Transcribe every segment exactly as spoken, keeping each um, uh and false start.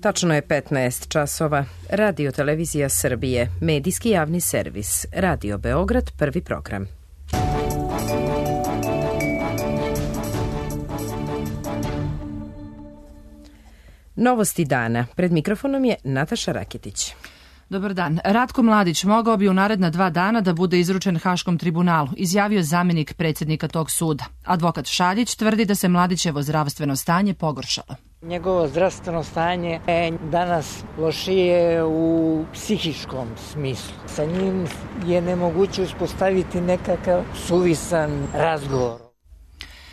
Tačno je petnaest časova. Radio Televizija Srbije, medijski javni servis, Radio Beograd, prvi program. Novosti dana. Pred mikrofonom je Nataša Raketić. Dobar dan. Ratko Mladić mogao bi u naredna dva dana da bude izručen Haškom tribunalu, izjavio zamjenik predsjednika tog suda. Advokat Šaljić tvrdi da se Mladićevo zdravstveno stanje pogoršalo. Njegovo zdravstveno stanje je danas lošije u psihičkom smislu. Sa njim je nemoguće uspostaviti nekakav suvisan razgovor.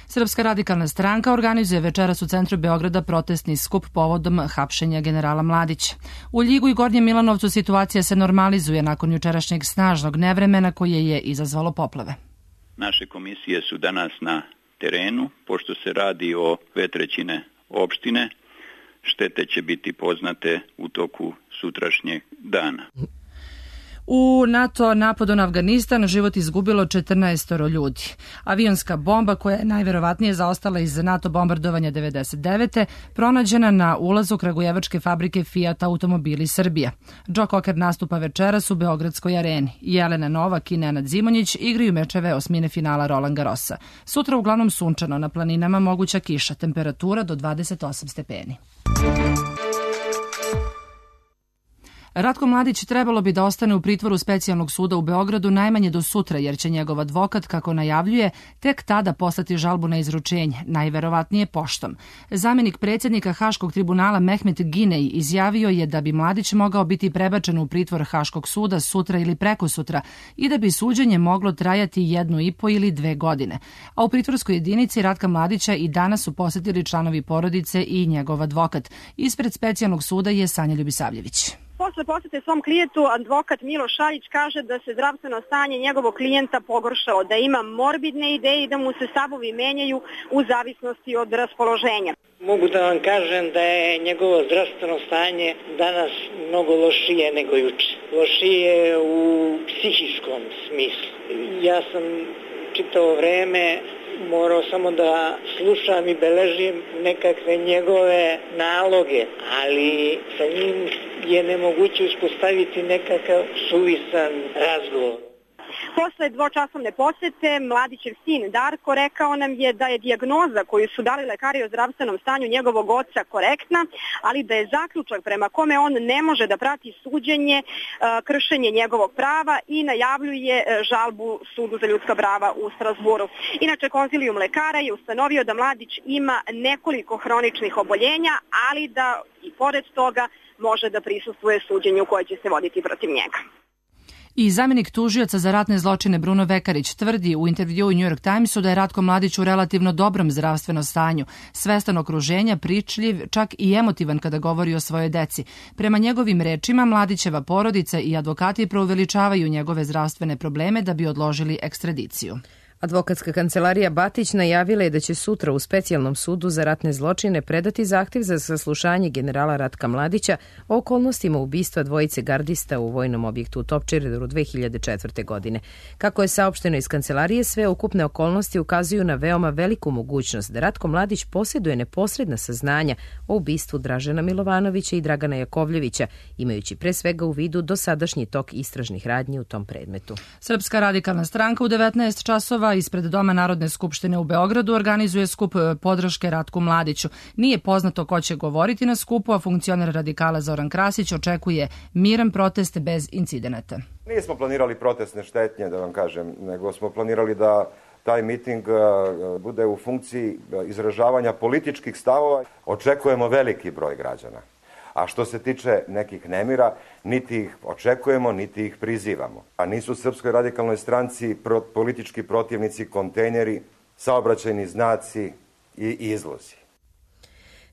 Srpska radikalna stranka organizuje večeras u centru Beograda protestni skup povodom hapšenja generala Mladića. U Ljigu i Gornjem Milanovcu situacija se normalizuje nakon jučerašnjeg snažnog nevremena koje je izazvalo poplave. Naše komisije su danas na terenu, pošto se radi o dve trećine opštine, štete će biti poznate u toku sutrašnjeg dana. U NATO napadu na Afganistan život izgubilo četrnaestoro ljudi. Avionska bomba, koja je najverovatnije zaostala iz NATO bombardovanja devedeset devete. pronađena na ulazu kragujevačke fabrike Fiat Automobili Srbija. Joe Cocker nastupa večeras u Beogradskoj areni. Jelena Novak i Nenad Zimonjić igraju mečeve osmine finala Roland Garrosa. Sutra uglavnom sunčano, na planinama moguća kiša, temperatura do dvadeset osam stepeni. Ratko Mladić trebalo bi da ostane u pritvoru Specijalnog suda u Beogradu najmanje do sutra, jer će njegov advokat, kako najavljuje, tek tada poslati žalbu na izručenje, najverovatnije poštom. Zamjenik predsjednika Haškog tribunala Mehmet Ginej izjavio je da bi Mladić mogao biti prebačen u pritvor Haškog suda sutra ili prekosutra i da bi suđenje moglo trajati jednu i po ili dve godine. A u pritvorskoj jedinici Ratka Mladića i danas su posjetili članovi porodice i njegov advokat. Ispred Specijalnog suda je Sanja Ljubisavljević. Posle posete svom klijentu, advokat Milo Šaljić kaže da se zdravstveno stanje njegovog klijenta pogoršalo, da ima morbidne ideje i da mu se stavovi menjaju u zavisnosti od raspoloženja. Mogu da vam kažem da je njegovo zdravstveno stanje danas mnogo lošije nego juče. Lošije u psihičkom smislu. Ja sam čitavo vreme morao samo da slušam i beležim nekakve njegove naloge, ali sa njim je nemoguće uspostaviti nekakav suvisan razgovor. Posle dvočasovne posete, Mladićev sin Darko rekao nam je da je dijagnoza koju su dali lekari o zdravstvenom stanju njegovog oca korektna, ali da je zaključak prema kome on ne može da prati suđenje, kršenje njegovog prava i najavljuje žalbu Sudu za ljudska prava u Strazburu. Inače, konzilijum lekara je ustanovio da Mladić ima nekoliko hroničnih oboljenja, ali da i pored toga može da prisustvuje suđenju koje će se voditi protiv njega. I zamjenik tužioca za ratne zločine Bruno Vekarić tvrdi u intervjuu u New York Timesu da je Ratko Mladić u relativno dobrom zdravstvenom stanju, svestan okruženja, pričljiv, čak i emotivan kada govori o svojoj deci. Prema njegovim rečima, Mladićeva porodica i advokati preuveličavaju njegove zdravstvene probleme da bi odložili ekstradiciju. Advokatska kancelarija Batić najavila je da će sutra u Specijalnom sudu za ratne zločine predati zahtjev za saslušanje generala Ratka Mladića o okolnostima ubistva dvojice gardista u vojnom objektu u Topčideru dve hiljade četvrte. godine. Kako je saopšteno iz kancelarije, sve ukupne okolnosti ukazuju na veoma veliku mogućnost da Ratko Mladić posjeduje neposredna saznanja o ubistvu Dražena Milovanovića i Dragana Jakovljevića, imajući pre svega u vidu dosadašnji tok istražnih radnji u tom predmetu. Srpska radikalna stranka u devetnaest časova ispred Doma Narodne skupštine u Beogradu organizuje skup podrške Ratku Mladiću. Nije poznato ko će govoriti na skupu, a funkcioner radikala Zoran Krasić očekuje miran protest bez incidenata. Nismo planirali protestne štetnje, da vam kažem, nego smo planirali da taj miting bude u funkciji izražavanja političkih stavova. Očekujemo veliki broj građana. A što se tiče nekih nemira, niti ih očekujemo, niti ih prizivamo. A nisu Srpskoj radikalnoj stranci politički protivnici kontejneri, saobraćajni znaci i izlozi.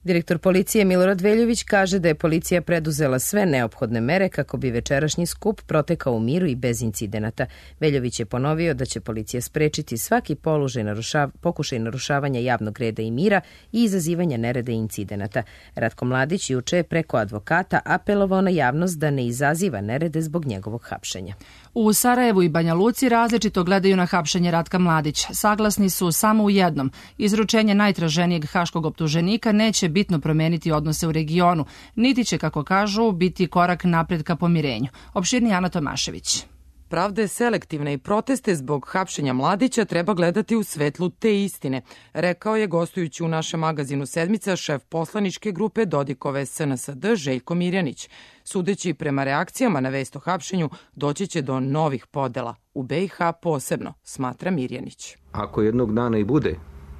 Direktor policije Milorad Veljović kaže da je policija preduzela sve neophodne mere kako bi večerašnji skup protekao u miru i bez incidenata. Veljović je ponovio da će policija sprečiti svaki položaj narušav, pokušaj narušavanja javnog reda i mira i izazivanja nereda i incidenata. Ratko Mladić juče je preko advokata apelovao na javnost da ne izaziva nerede zbog njegovog hapšenja. U Sarajevu i Banja Luci različito gledaju na hapšenje Ratka Mladića. Saglasni su samo u jednom. Izručenje najtraženijeg haškog optuženika neće bitno promeniti odnose u regionu, niti će, kako kažu, biti korak napred ka pomirenju. Opširnije Ana Tomašević. Pravde selektivne i proteste zbog hapšenja Mladića treba gledati u svetlu te istine, rekao je gostujući u našem magazinu Sedmica šef poslaničke grupe Dodikove S N S D Željko Mirjanić. Sudeći prema reakcijama na vest o hapšenju, doći će do novih podela. U B i H posebno, smatra Mirjanić. Ako jednog dana i bude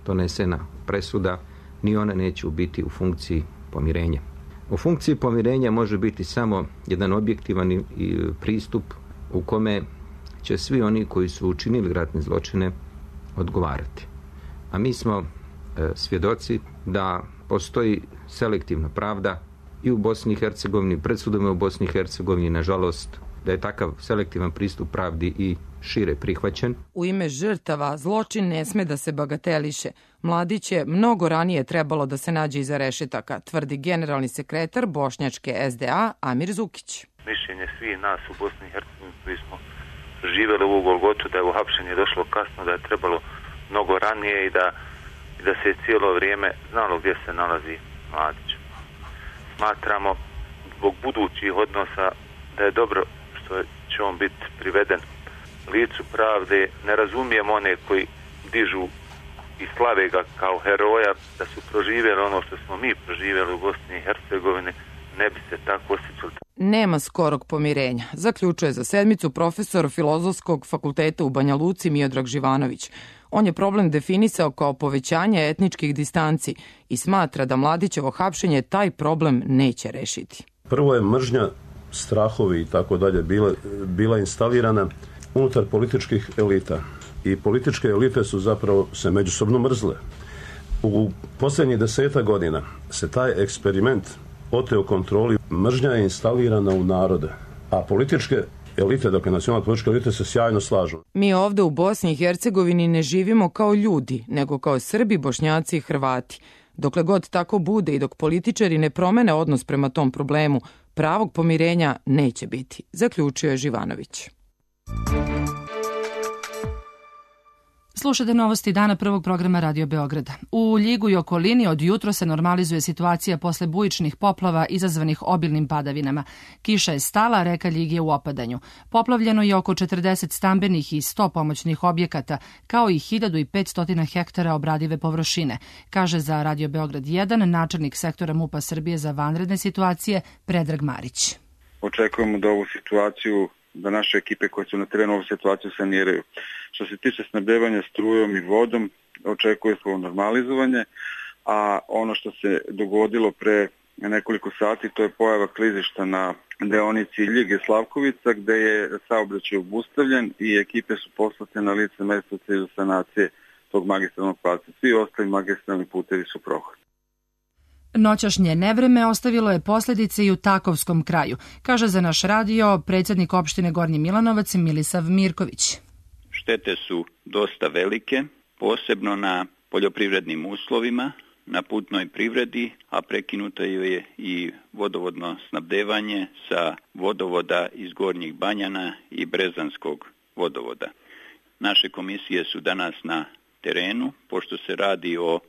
donesena presuda, ni ona neće biti u funkciji pomirenja. U funkciji pomirenja može biti samo jedan objektivan pristup u kome će svi oni koji su učinili ratne zločine odgovarati. A mi smo e, svjedoci da postoji selektivna pravda i u Bosni i Hercegovini, pred sudovima u Bosni i Hercegovini, nažalost, da je takav selektivan pristup pravdi i šire prihvaćen. U ime žrtava zločin ne sme da se bagateliše. Mladić je mnogo ranije trebalo da se nađe iza rešetaka, tvrdi generalni sekretar bošnjačke S D A Amir Zukić. Mišljenje svi nas u Bosni i Hercegovini koji smo živjeli u Golgotu da je uhapšenje došlo kasno, da je trebalo mnogo ranije i da, i da se cijelo vrijeme znalo gdje se nalazi Mladić. Smatramo zbog budućih odnosa da je dobro što će on biti priveden licu pravde. Ne razumijemo one koji dižu i slave ga kao heroja, da su proživjeli ono što smo mi proživjeli u Bosni i Hercegovini, ne bi se tako osjećali. Nema skorog pomirenja, zaključuje za Sedmicu profesor Filozofskog fakulteta u Banja Luci Miodrag Živanović. On je problem definisao kao povećanje etničkih distanci i smatra da Mladićevo hapšenje taj problem neće rešiti. Prvo je mržnja, strahovi i tako dalje bila, bila instalirana unutar političkih elita. I političke elite su zapravo se međusobno mrzle. U posljednjih deseta godina se taj eksperiment oteo kontroli. Mržnja je instalirana u narode, a političke elite, dakle nacionalne političke elite, se sjajno slažu. Mi ovde u Bosni i Hercegovini ne živimo kao ljudi, nego kao Srbi, Bošnjaci i Hrvati. Dokle god tako bude i dok političari ne promene odnos prema tom problemu, pravog pomirenja neće biti, zaključio je Živanović. Slušate novosti dana prvog programa Radio Beograda. U Ljigu i okolini od jutro se normalizuje situacija posle bujičnih poplava izazvanih obilnim padavinama. Kiša je stala, reka Ljig je u opadanju. Poplavljeno je oko četrdeset stambenih i sto pomoćnih objekata, kao i hiljadu petsto hektara obradive površine, kaže za Radio Beograd jedan načelnik sektora MUP-a Srbije za vanredne situacije Predrag Marić. Očekujemo da ovu situaciju, da naše ekipe koje su na terenu ovu situaciju saniraju. Što se tiče snabdevanja strujom i vodom, očekuje se normalizovanje, a ono što se dogodilo pre nekoliko sati, to je pojava klizišta na deonici Ljige-Slavkovica, gde je saobraćaj obustavljen i ekipe su poslate na lice mesta u cilju sanacije tog magistralnog pravca. Svi ostali magistralni putevi su prohodni. Noćašnje nevreme ostavilo je posljedice i u Takovskom kraju, kaže za naš radio predsjednik opštine Gornji Milanovac Milisav Mirković. Štete su dosta velike, posebno na poljoprivrednim uslovima, na putnoj privredi, a prekinuto je i vodovodno snabdevanje sa vodovoda iz Gornjih Banjana i Brezanskog vodovoda. Naše komisije su danas na terenu, pošto se radi o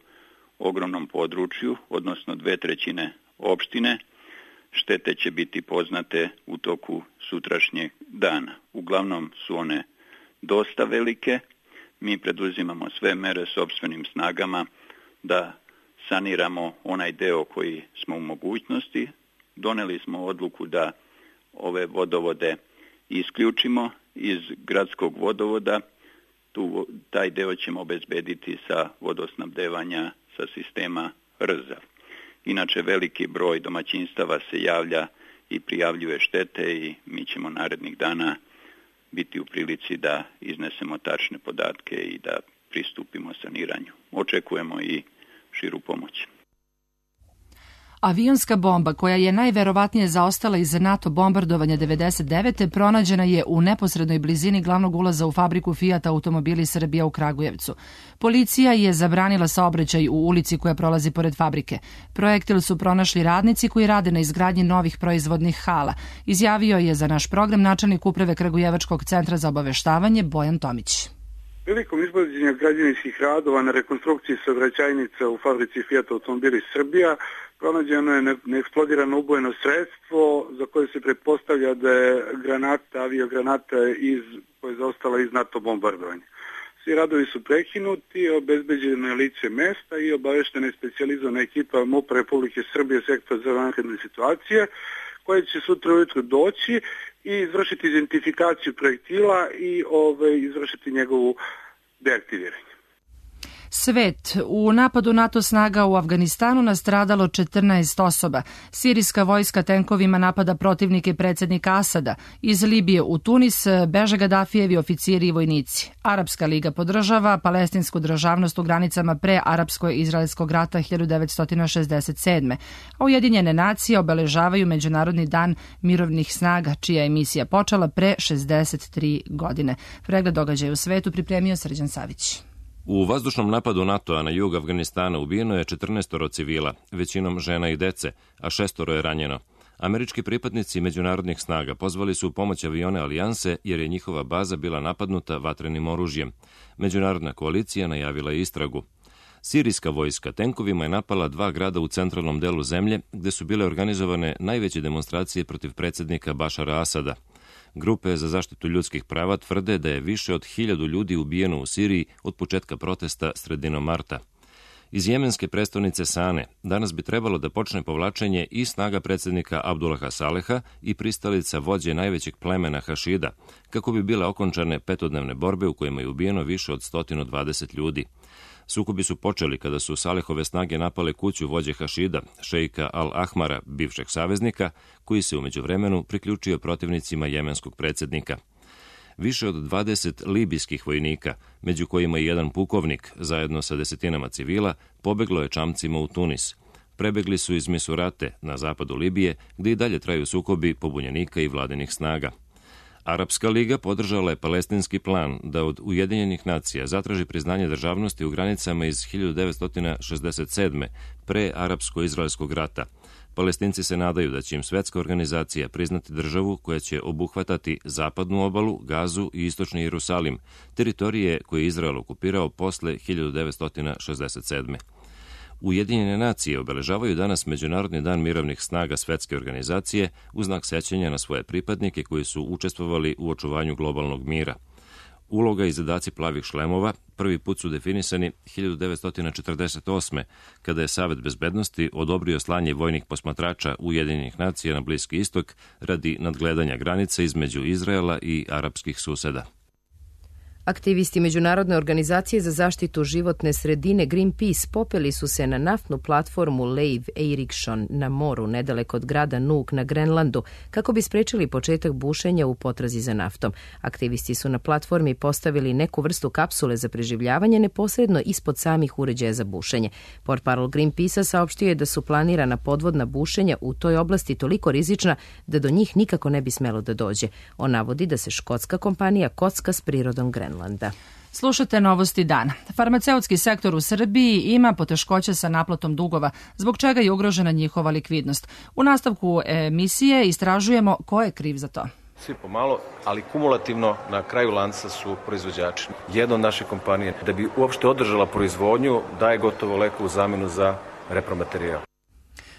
ogromnom području, odnosno dve trećine opštine. Štete će biti poznate u toku sutrašnjeg dana. Uglavnom su one dosta velike. Mi preduzimamo sve mere sopstvenim snagama da saniramo onaj deo koji smo u mogućnosti. Doneli smo odluku da ove vodovode isključimo iz gradskog vodovoda. Tu, taj deo ćemo obezbediti sa vodosnabdevanja sa sistema Rzav. Inače, veliki broj domaćinstava se javlja i prijavljuje štete i mi ćemo narednih dana biti u prilici da iznesemo tačne podatke i da pristupimo saniranju. Očekujemo i širu pomoć. Avionska bomba, koja je najverovatnije zaostala iz NATO bombardovanja devedeset devete. pronađena je u neposrednoj blizini glavnog ulaza u fabriku Fiat Automobili Srbija u Kragujevcu. Policija je zabranila saobraćaj u ulici koja prolazi pored fabrike. Projektil su pronašli radnici koji rade na izgradnji novih proizvodnih hala. Izjavio je za naš program načelnik uprave Kragujevačkog centra za obaveštavanje Bojan Tomić. Prilikom izvođenja građevinskih radova na rekonstrukciji saobraćajnica u fabrici Fiat Automobili Srbija pronađeno je neeksplodirano ubojeno sredstvo za koje se pretpostavlja da je granata, aviogranata iz, koja je zaostala iz NATO bombardovanja. Svi radovi su prekinuti, obezbeđeno je lice mesta i obaveštena je specijalizovana ekipa MUP-a Republike Srbije, sektor za vanredne situacije, koja će sutra ujutro doći i izvršiti identifikaciju projektila i ove, izvršiti njegovu deaktiviranje. Svet. U napadu NATO snaga u Afganistanu nastradalo četrnaest osoba. Sirijska vojska tenkovima napada protivnike predsjednika Asada. Iz Libije u Tunis beže Gadafijevi oficiri i vojnici. Arapska liga podržava palestinsku državnost u granicama pre arapsko-izraelskog rata hiljadu devetsto šezdeset sedme. A Ujedinjene nacije obeležavaju Međunarodni dan mirovnih snaga, čija je misija počela pre šezdeset tri godine. Pregled događaja u svetu pripremio Srđan Savić. U vazdušnom napadu NATO-a na jug Afganistana ubijeno je četrnaestoro civila, većinom žena i dece, a šestoro je ranjeno. Američki pripadnici međunarodnih snaga pozvali su u pomoć avione Alijanse jer je njihova baza bila napadnuta vatrenim oružjem. Međunarodna koalicija najavila je istragu. Sirijska vojska tenkovima je napala dva grada u centralnom delu zemlje gde su bile organizovane najveće demonstracije protiv predsjednika Bašara Asada. Grupe za zaštitu ljudskih prava tvrde da je više od hiljadu ljudi ubijeno u Siriji od početka protesta sredinom marta. Iz jemenske prestonice Sane danas bi trebalo da počne povlačenje i snaga predsjednika Abdullaha Saleha i pristalica vođe najvećeg plemena Hašida, kako bi bile okončane petodnevne borbe u kojima je ubijeno više od sto dvadeset ljudi. Sukobi su počeli kada su Salehove snage napale kuću vođe Hašida, šejka Al-Ahmara, bivšeg saveznika, koji se u međuvremenu priključio protivnicima jemenskog predsjednika. Više od dvadeset libijskih vojnika, među kojima i jedan pukovnik, zajedno sa desetinama civila, pobeglo je čamcima u Tunis. Prebegli su iz Misurate, na zapadu Libije, gde i dalje traju sukobi pobunjenika i vladinih snaga. Arapska liga podržala je palestinski plan da od Ujedinjenih nacija zatraži priznanje državnosti u granicama iz hiljadu devetsto šezdeset sedme. pre arapsko-izraelskog rata. Palestinci se nadaju da će im svetska organizacija priznati državu koja će obuhvatati zapadnu obalu, Gazu i istočni Jerusalim, teritorije koje je Izrael okupirao posle hiljadu devetsto šezdeset sedme. Ujedinjene nacije obeležavaju danas Međunarodni dan mirovnih snaga svetske organizacije u znak sećanja na svoje pripadnike koji su učestvovali u očuvanju globalnog mira. Uloga i zadaci plavih šlemova prvi put su definisani hiljadu devetsto četrdeset osme. kada je Savet bezbednosti odobrio slanje vojnih posmatrača Ujedinjenih nacija na Bliski istok radi nadgledanja granica između Izraela i arapskih suseda. Aktivisti Međunarodne organizacije za zaštitu životne sredine Greenpeace popeli su se na naftnu platformu Leiv Eiriksson na moru nedaleko od grada Nuuk na Grenlandu kako bi sprečili početak bušenja u potrazi za naftom. Aktivisti su na platformi postavili neku vrstu kapsule za preživljavanje neposredno ispod samih uređaja za bušenje. Portparol Greenpeace-a saopštio je da su planirana podvodna bušenja u toj oblasti toliko rizična da do njih nikako ne bi smelo da dođe. On navodi da se škotska kompanija kocka s prirodom Grenlanda. Slušate novosti dana. Farmaceutski sektor u Srbiji ima poteškoće sa naplatom dugova, zbog čega je ugrožena njihova likvidnost. U nastavku emisije istražujemo ko je kriv za to. Svi pomalo, ali kumulativno na kraju lanca su proizvođači. Jedna od naše kompanije, da bi uopšte održala proizvodnju, daje gotovo leku u zamenu za repromaterijal.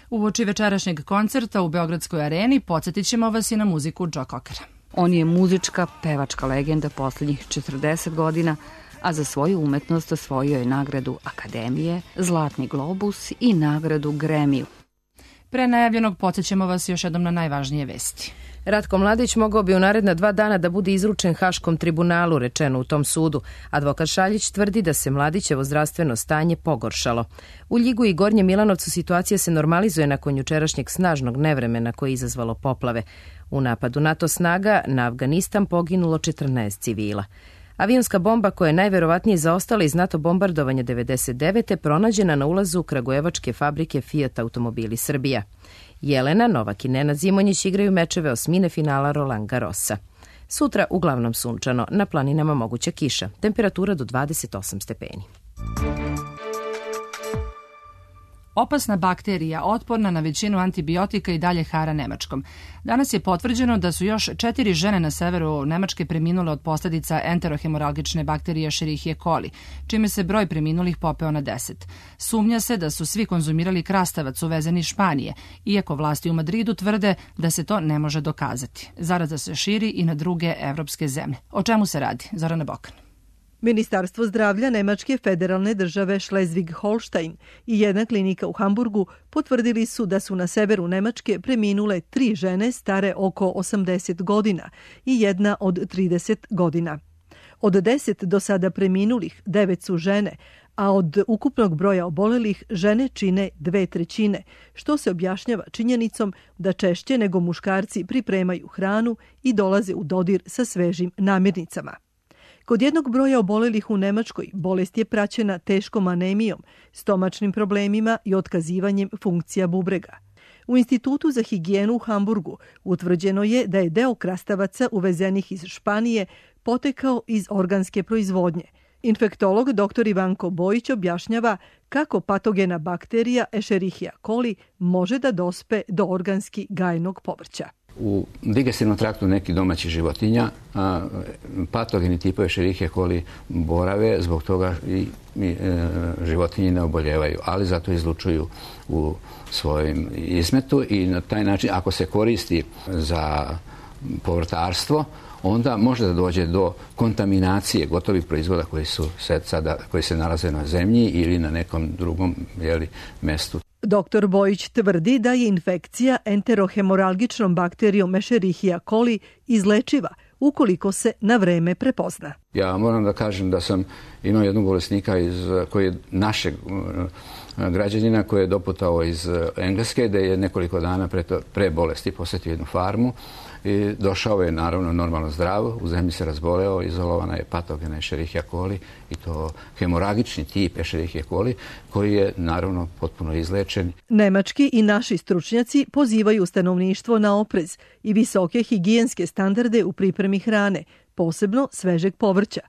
Uoči večerašnjeg koncerta u Beogradskoj areni podsjetit ćemo vas i na muziku Joe Cockera. On je muzička, pevačka legenda poslednjih četrdeset godina, a za svoju umetnost osvojio je nagradu Akademije, Zlatni globus i nagradu Grammy. Pre najavljenog podsjećamo vas još jednom na najvažnije vesti. Ratko Mladić mogao bi u naredna dva dana da bude izručen Haškom tribunalu, rečeno u tom sudu. Advokat Šaljić tvrdi da se Mladićevo zdravstveno stanje pogoršalo. U Ljigu i Gornjem Milanovcu situacija se normalizuje nakon jučerašnjeg snažnog nevremena koje je izazvalo poplave. U napadu NATO snaga na Afganistan poginulo četrnaest civila. Avionska bomba koja je najverovatnije zaostala iz NATO bombardovanja devedeset devete pronađena na ulazu kragujevačke fabrike Fiat Automobili Srbija. Jelena, Novak i Nenad Zimonjić igraju mečeve osmine finala Roland Garrosa. Sutra uglavnom sunčano, na planinama moguća kiša, temperatura do dvadeset osam stepeni. Opasna bakterija, otporna na većinu antibiotika i dalje hara Nemačkom. Danas je potvrđeno da su još četiri žene na severu Nemačke preminule od posljedica enterohemoralgične bakterije Escherichia coli, čime se broj preminulih popeo na deset. Sumnja se da su svi konzumirali krastavac uvezen iz Španije, iako vlasti u Madridu tvrde da se to ne može dokazati. Zaraza se širi i na druge evropske zemlje. O čemu se radi? Zorana Bokan. Ministarstvo zdravlja Nemačke federalne države Schleswig-Holstein i jedna klinika u Hamburgu potvrdili su da su na severu Nemačke preminule tri žene stare oko osamdeset godina i jedna od trideset godina. Od deset do sada preminulih, devet su žene, a od ukupnog broja obolelih žene čine dve trećine, što se objašnjava činjenicom da češće nego muškarci pripremaju hranu i dolaze u dodir sa svežim namirnicama. Kod jednog broja obolelih u Nemačkoj bolest je praćena teškom anemijom, stomačnim problemima i otkazivanjem funkcija bubrega. U Institutu za higijenu u Hamburgu utvrđeno je da je deo krastavaca uvezenih iz Španije potekao iz organske proizvodnje. Infektolog dr Ivanko Bojić objašnjava kako patogena bakterija Escherichia coli može da dospe do organski gajenog povrća. U digestivnom traktu nekih domaćih životinja a, patogeni tipovi Escherichia coli borave, zbog toga i, i e, životinje ne oboljevaju, ali zato izlučuju u svojim izmetu i na taj način ako se koristi za povrtarstvo, onda može da dođe do kontaminacije gotovih proizvoda koji su sada, koji se nalaze na zemlji ili na nekom drugom jeli, mestu. Doktor Bojić tvrdi da je infekcija enterohemoralgičnom bakterijom Escherichia coli izlečiva ukoliko se na vreme prepozna. Ja moram da kažem da sam imao jednog bolesnika iz, koji je našeg građanina koji je doputao iz Engleske, da je nekoliko dana pre, to, pre bolesti posjetio jednu farmu i došao je naravno normalno zdrav, u zemlji se razboleo, izolovana je patogena Escherichia coli i to hemoragični tip Escherichia coli koji je naravno potpuno izlečen. Nemački i naši stručnjaci pozivaju stanovništvo na oprez i visoke higijenske standarde u pripremi hrane, posebno svežeg povrća.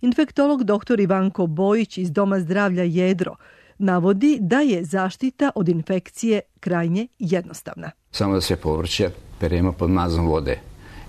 Infektolog dr Ivanko Bojić iz Doma zdravlja Jedro navodi da je zaštita od infekcije krajnje jednostavna. Samo da se povrće peremo pod mazom vode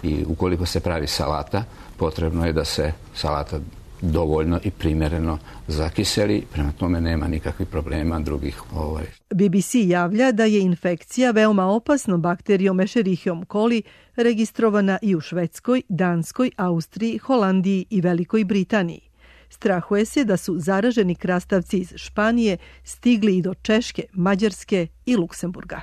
i ukoliko se pravi salata, potrebno je da se salata dovoljno i primjereno zakiseli, prema tome nema nikakvih problema drugih. Ovaj. B B C javlja da je infekcija veoma opasnom bakterijom Escherichiom coli registrovana i u Švedskoj, Danskoj, Austriji, Holandiji i Velikoj Britaniji. Strahuje se da su zaraženi krastavci iz Španije stigli i do Češke, Mađarske i Luksemburga.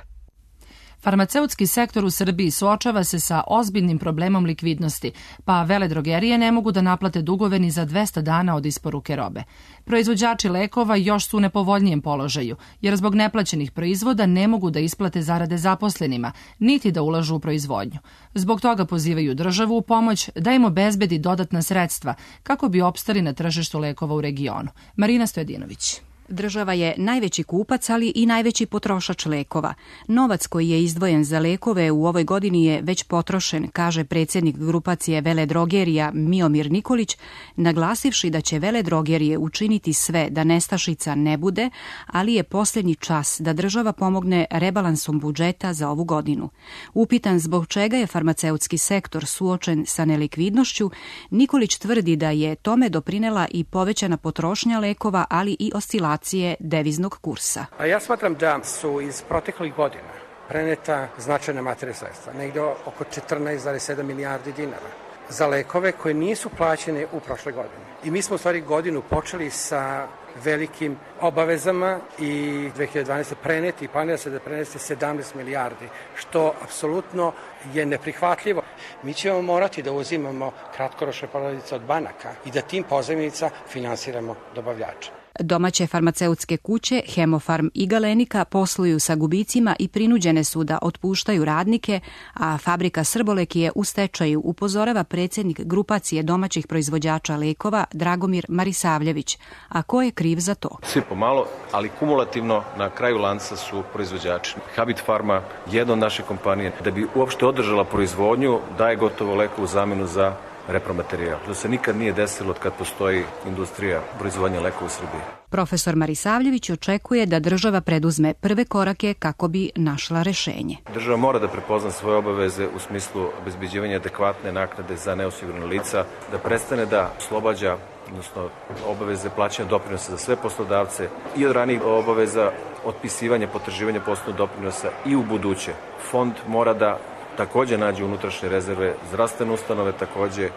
Farmaceutski sektor u Srbiji suočava se sa ozbiljnim problemom likvidnosti, pa veledrogerije ne mogu da naplate dugove ni za dvesta dana od isporuke robe. Proizvođači lekova još su u nepovoljnijem položaju, jer zbog neplaćenih proizvoda ne mogu da isplate zarade zaposlenima, niti da ulažu u proizvodnju. Zbog toga pozivaju državu u pomoć da im obezbedi dodatna sredstva kako bi opstali na tržištu lekova u regionu. Marina Stojadinović. Država je najveći kupac, ali i najveći potrošač lekova. Novac koji je izdvojen za lekove u ovoj godini je već potrošen, kaže predsjednik grupacije veledrogerija Miomir Nikolić, naglasivši da će veledrogerije učiniti sve da nestašica ne bude, ali je posljednji čas da država pomogne rebalansom budžeta za ovu godinu. Upitan zbog čega je farmaceutski sektor suočen sa nelikvidnošću, Nikolić tvrdi da je tome doprinela i povećana potrošnja lekova, ali i oscilacija deviznog kursa. A ja smatram da su iz proteklih godina preneta značajna materijalna sredstva, negdje oko četrnaest zarez sedam milijardi dinara, za lekove koje nisu plaćene u prošle godine. I mi smo u stvari godinu počeli sa velikim obavezama i dve hiljade dvanaeste. preneti i planira se da prenese sedamnaest milijardi, što apsolutno je neprihvatljivo. Mi ćemo morati da uzimamo kratkoročne pozajmice od banaka i da tim pozajmicama finansiramo dobavljače. Domaće farmaceutske kuće Hemofarm i Galenika posluju sa gubicima i prinuđene su da otpuštaju radnike, a fabrika Srbolek je u stečaju, upozorava predsjednik grupacije domaćih proizvođača lekova Dragomir Marisavljević. A ko je kriv za to? Svi pomalo, ali kumulativno na kraju lanca su proizvođači. Habit Farma, jedna od naših kompanije, da bi uopšte održala proizvodnju, daje gotovo leku u zamenu za repromaterijal. To se nikad nije desilo od kad postoji industrija proizvodnja lekova u Srbiji. Profesor Marisavljević očekuje da država preduzme prve korake kako bi našla rešenje. Država mora da prepozna svoje obaveze u smislu obezbeđivanja adekvatne naknade za neosigurana lica, da prestane da oslobađa, odnosno obaveze plaćanja doprinosa za sve poslodavce i od ranijih obaveza otpisivanja potraživanja poslovnog doprinosa i u buduće. Fond mora da takođe nađe unutrašnje rezerve, zdravstvene ustanove takođe,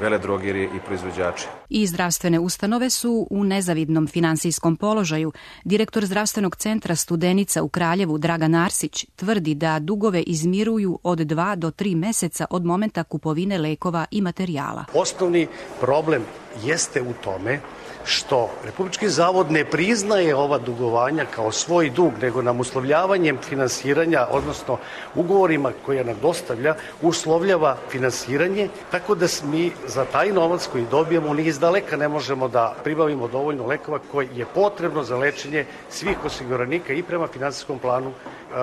veledrogerije i proizvođači. I zdravstvene ustanove su u nezavidnom finansijskom položaju. Direktor zdravstvenog centra Studenica u Kraljevu Dragan Arsić tvrdi da dugove izmiruju od dva do tri meseca od momenta kupovine lekova i materijala. Osnovni problem jeste u tome što Republički zavod ne priznaje ova dugovanja kao svoj dug, nego nam uslovljavanjem finansiranja, odnosno ugovorima koje nam dostavlja, uslovljava finansiranje, tako da mi za taj novac koji dobijemo ni iz daleka ne možemo da pribavimo dovoljno lekova koji je potrebno za lečenje svih osiguranika i prema finansijskom planu,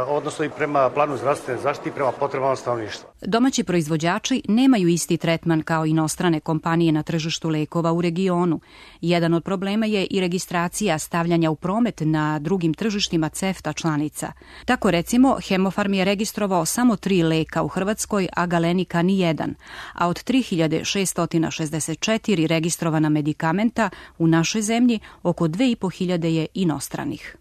odnosno i prema planu zdravstvene zaštite i prema potrebama stanovništva. Domaći proizvođači nemaju isti tretman kao inostrane kompanije na tržištu lekova u regionu. Jedan od problema je i registracija stavljanja u promet na drugim tržištima CEFTA članica. Tako recimo, Hemofarm je registrovao samo tri leka u Hrvatskoj, a Galenika ni jedan, a od tri hiljade šessto šezdeset četiri registrovana medikamenta u našoj zemlji oko dve i po hiljade je inostranih.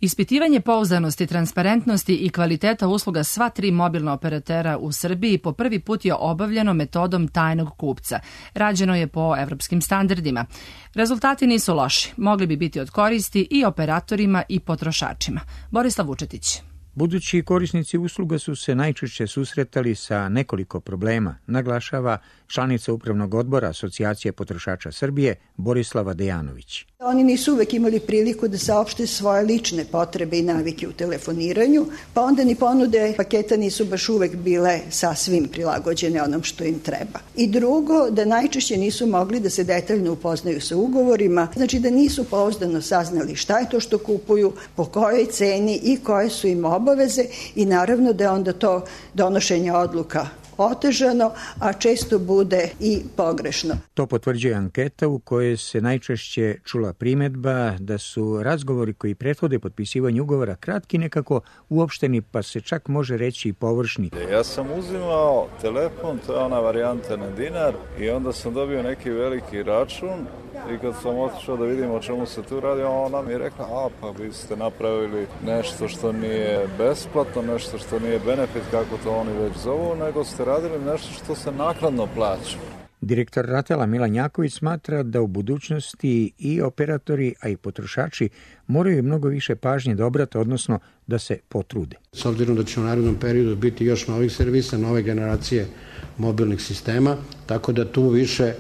Ispitivanje pouzdanosti, transparentnosti i kvaliteta usluga sva tri mobilna operatera u Srbiji po prvi put je obavljeno metodom tajnog kupca. Rađeno je po evropskim standardima. Rezultati nisu loši. Mogli bi biti od koristi i operatorima i potrošačima. Borislav Vučetić. Budući korisnici usluga su se najčešće susretali sa nekoliko problema, naglašava članica Upravnog odbora Asocijacije potrošača Srbije Borislava Dejanović. Oni nisu uvek imali priliku da saopšte svoje lične potrebe i navike u telefoniranju, pa onda ni ponude paketa nisu baš uvek bile sasvim prilagođene onom što im treba. I drugo, da najčešće nisu mogli da se detaljno upoznaju sa ugovorima, znači da nisu pouzdano saznali šta je to što kupuju, po kojoj ceni i koje su im obaveze i naravno da je onda to donošenje odluka otežano, a često bude i pogrešno. To potvrđuje anketa u kojoj se najčešće čula primedba da su razgovori koji prethode potpisivanju ugovora kratki, nekako uopšteni, pa se čak može reći i površni. Ja sam uzimao telefon, to je ona varijanta na dinar, i onda sam dobio neki veliki račun i kad sam otišao da vidim o čemu se tu radi, ona mi je rekla, a pa vi ste napravili nešto što nije besplatno, nešto što nije benefit, kako to oni već zovu, nego ste radili nešto što se naknadno plaća. Direktor Ratela Milan Jaković smatra da u budućnosti i operatori, a i potrošači moraju mnogo više pažnje da obrate, odnosno da se potrude. S obzirom da će u narednom periodu biti još novih servisa, nove generacije mobilnih sistema, tako da tu više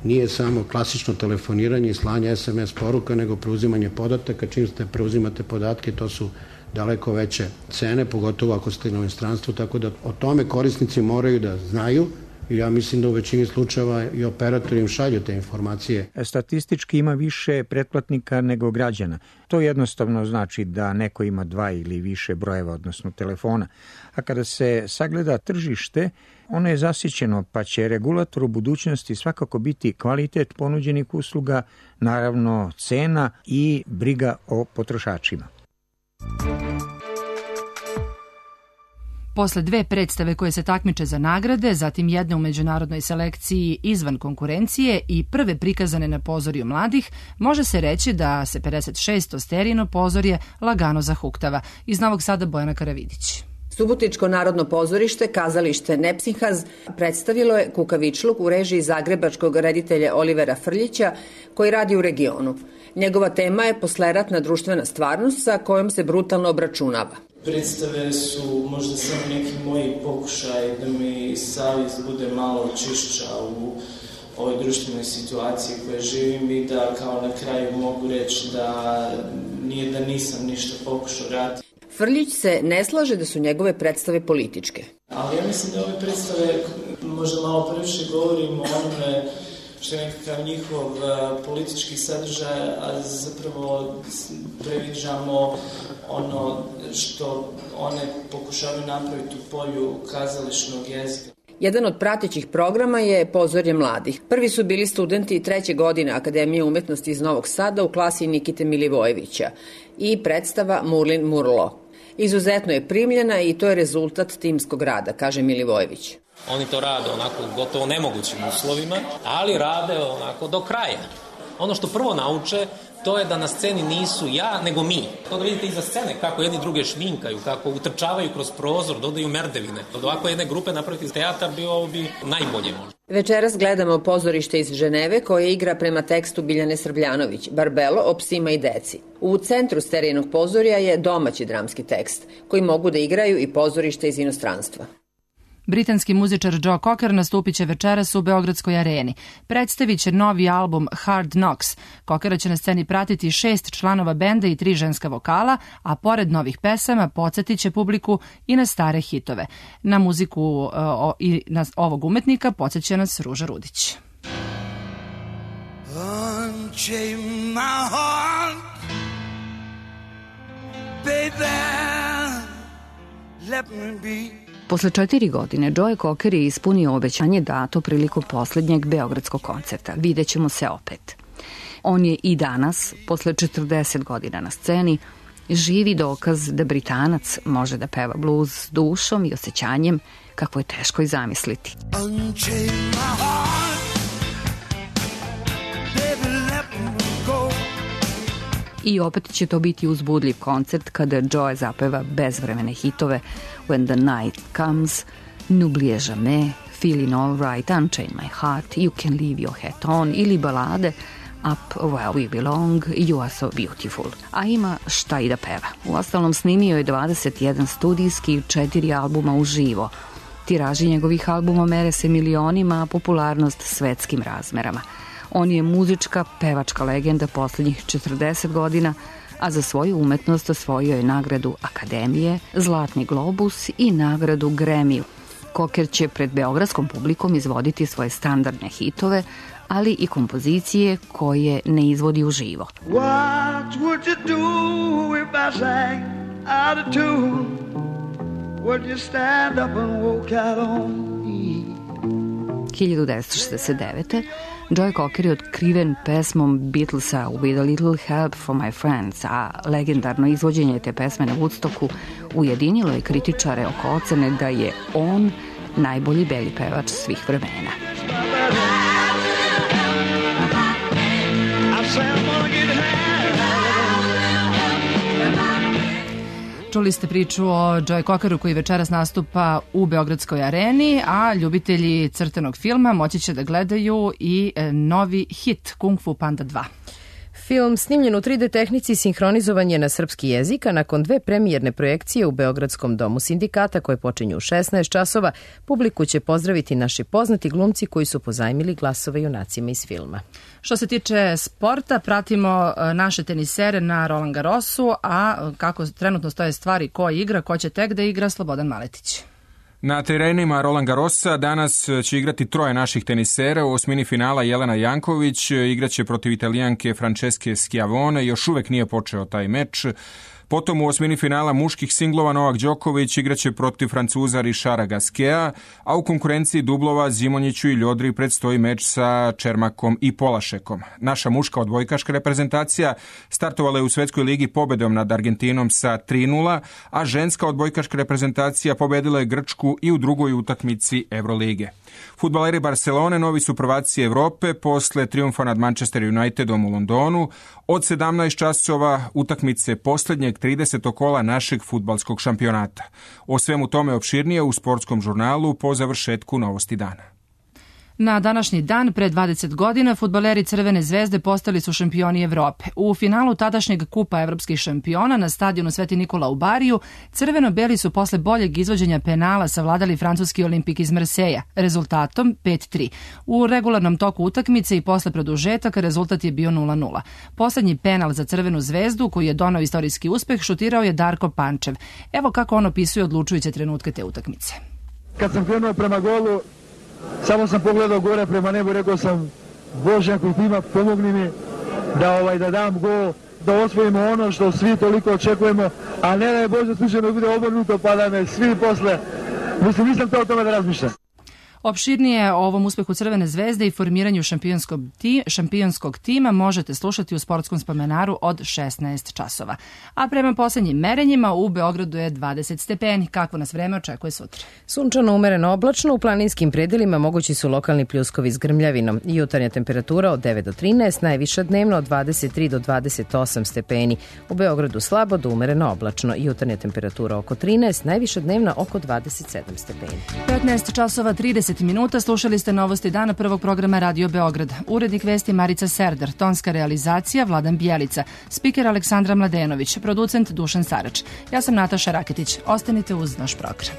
nije samo klasično telefoniranje i slanje es em es poruka, nego preuzimanje podataka. Čim ste preuzimate podatke, to su daleko veće cene, pogotovo ako ste na inostranstvu, tako da o tome korisnici moraju da znaju. I ja mislim da u većini slučajeva i operatori im šalju te informacije. Statistički ima više pretplatnika nego građana. To jednostavno znači da neko ima dva ili više brojeva, odnosno telefona. A kada se sagleda tržište, ono je zasićeno, pa će regulator u budućnosti svakako biti kvalitet ponuđenih usluga, naravno cena i briga o potrošačima. Posle dve predstave koje se takmiče za nagrade, zatim jedna u međunarodnoj selekciji izvan konkurencije i prve prikazane na pozorju mladih, može se reći da se pedeset šesto Sterino pozorje lagano zahuktava. Iz Novog Sada Bojana Karavidić. Subotičko narodno pozorište, kazalište Nepsinhaz, predstavilo je Kukavičluk u režiji zagrebačkog reditelja Olivera Frljića, koji radi u regionu. Njegova tema je posleratna društvena stvarnost sa kojom se brutalno obračunava. Predstave su možda samo neki moji pokušaj da mi savjest bude malo čišća u ovoj društvenoj situaciji koje živim i da kao na kraju mogu reći da nije da nisam ništa pokušao raditi. Frljić se ne slaže da su njegove predstave političke. Ali ja mislim da ove predstave možda malo previše govorimo o onome što je nekakav njihov uh, politički sadržaj, a zapravo previđamo ono što one pokušavaju napraviti u polju kazališnog jezika. Jedan od pratećih programa je Pozorje mladih. Prvi su bili studenti treće godine Akademije umetnosti iz Novog Sada u klasi Nikite Milivojevića i predstava Murlin Murlo. Izuzetno je primljena i to je rezultat timskog rada, kaže Milivojević. Oni to rade onako gotovo nemogućim uslovima, ali rade onako do kraja. Ono što prvo nauče, to je da na sceni nisu ja, nego mi. To da vidite iza scene kako jedni druge šminkaju, kako utrčavaju kroz prozor, dodaju merdevine. Od ovako jedne grupe napraviti teatar bi ovo bi najbolje možda. Večeras gledamo pozorište iz Ženeve koje igra prema tekstu Biljane Srbljanović, Barbelo o psima i deci. U centru Sterijinog pozorja je domaći dramski tekst, koji mogu da igraju i pozorište iz inostranstva. Britanski muzičar Joe Cocker nastupit će večeras u Beogradskoj areni. Predstavit će novi album Hard Knocks. Cockera će na sceni pratiti šest članova benda i tri ženska vokala, a pored novih pesama podsjetit će publiku i na stare hitove. Na muziku uh, o, i na ovog umetnika podsjeća nas Ruža Rudić. Unchain my heart, baby, let me be. Posle četiri godine Joe Cocker je ispunio obećanje dato prilikom posljednjeg beogradskog koncerta. Videćemo se opet. On je i danas, posle četrdeset godina na sceni, živi dokaz da Britanac može da peva blues s dušom i osjećanjem kako je teško i zamisliti. I opet će to biti uzbudljiv koncert kada Joe zapeva bezvremene hitove When the Night Comes, N'oubliez jamais, Feeling All Right, Unchain My Heart, You Can Leave Your Hat On ili balade Up Where We Belong, You Are So Beautiful. A ima šta i da peva. Uostalom snimio je dvadeset jedan studijski i četiri albuma uživo. Tiraži njegovih albuma mere se milionima, a popularnost svetskim razmerama. On je muzička, pevačka legenda poslednjih četrdeset godina, a za svoju umetnost osvojio je nagradu Akademije, Zlatni globus i nagradu Grammy. Cocker će pred beogradskom publikom izvoditi svoje standardne hitove, ali i kompozicije koje ne izvodi uživo. What would you do if I sang out of tune? Would you stand up and walk out on me? hiljadu devetsto šezdeset devete. Joe Cocker je otkriven pesmom Beatlesa With a Little Help from My Friends, a legendarno izvođenje te pesme na Woodstocku ujedinilo je kritičare oko ocene da je on najbolji beli pevač svih vremena. Čuli ste priču o Joe Cockeru koji večeras nastupa u Beogradskoj areni, a ljubitelji crtenog filma moći će da gledaju i novi hit Kung Fu Panda dva. Film snimljen u tri D tehnici sinhronizovan je na srpski jezik, a nakon dve premijerne projekcije u Beogradskom domu sindikata koje počinju u šesnaest časova, publiku će pozdraviti naši poznati glumci koji su pozajmili glasove junacima iz filma. Što se tiče sporta, pratimo naše tenisere na Roland Garrosu, a kako trenutno stoje stvari, ko igra, ko će tek da igra, Slobodan Maletić. Na terenima Roland Garrosa danas će igrati troje naših tenisera. U osmini finala Jelena Janković igraće protiv Italijanke Francesche Schiavone. Još uvek nije počeo taj meč. Potom u osmini finala muških singlova Novak Đoković igraće protiv Francuza Richarda Gasqueta, a u konkurenciji dublova Zimonjiću i Ljodri predstoji meč sa Čermakom i Polašekom. Naša muška odbojkaška reprezentacija startovala je u Svetskoj ligi pobedom nad Argentinom sa tri nula, a ženska odbojkaška reprezentacija pobedila je Grčku i u drugoj utakmici Evrolige. Fudbaleri Barcelone novi su prvaci Evrope posle trijumfa nad Manchester Unitedom u Londonu. Od sedamnaest časova utakmice poslednjeg tridesetog kola našeg fudbalskog šampionata. O svemu tome opširnije u sportskom žurnalu po završetku Novosti dana. Na današnji dan, pre dvadeset godina, fudbaleri Crvene zvezde postali su šampioni Evrope. U finalu tadašnjeg kupa evropskih šampiona na stadionu Sveti Nikola u Bariju, crveno-beli su posle boljeg izvođenja penala savladali francuski Olimpik iz Marseja, rezultatom pet tri. U regularnom toku utakmice i posle produžetaka rezultat je bio nula nula. Poslednji penal za Crvenu zvezdu, koji je donao istorijski uspeh, šutirao je Darko Pančev. Evo kako on opisuje odlučujuće trenutke te utakmice. Kad sam krenuo prema golu, samo sam pogledao gore prema nebu i rekao sam, Bože, ako ima, pomogni mi da, ovaj, da dam gol, da osvojimo ono što svi toliko očekujemo, a ne da je Bože slučajno bude obrnuto pa da me svi posle, mislim, nisam to o tome da razmišljam. Opširnije o ovom uspehu Crvene zvezde i formiranju šampionskog, ti, šampionskog tima možete slušati u Sportskom spomenaru od šesnaest časova. A prema poslednjim merenjima u Beogradu je dvadeset stepeni. Kako nas vreme očekuje sutra? Sunčano, umereno, oblačno, u planinskim predelima mogući su lokalni pljuskovi s grmljavinom. Jutarnja temperatura od devet do trinaest, najviša dnevno od dvadeset tri do dvadeset osam stepeni. U Beogradu slabo do umereno oblačno. Jutarnja temperatura oko trinaest, najviša dnevna oko dvadeset sedam stepeni. petnaest časova trideset minuta, slušali ste novosti dana prvog programa Radio Beograd. Urednik vesti Marica Serdar, tonska realizacija Vladan Bjelica, spiker Aleksandra Mladenović, producent Dušan Sarač. Ja sam Nataša Raketić. Ostanite uz naš program.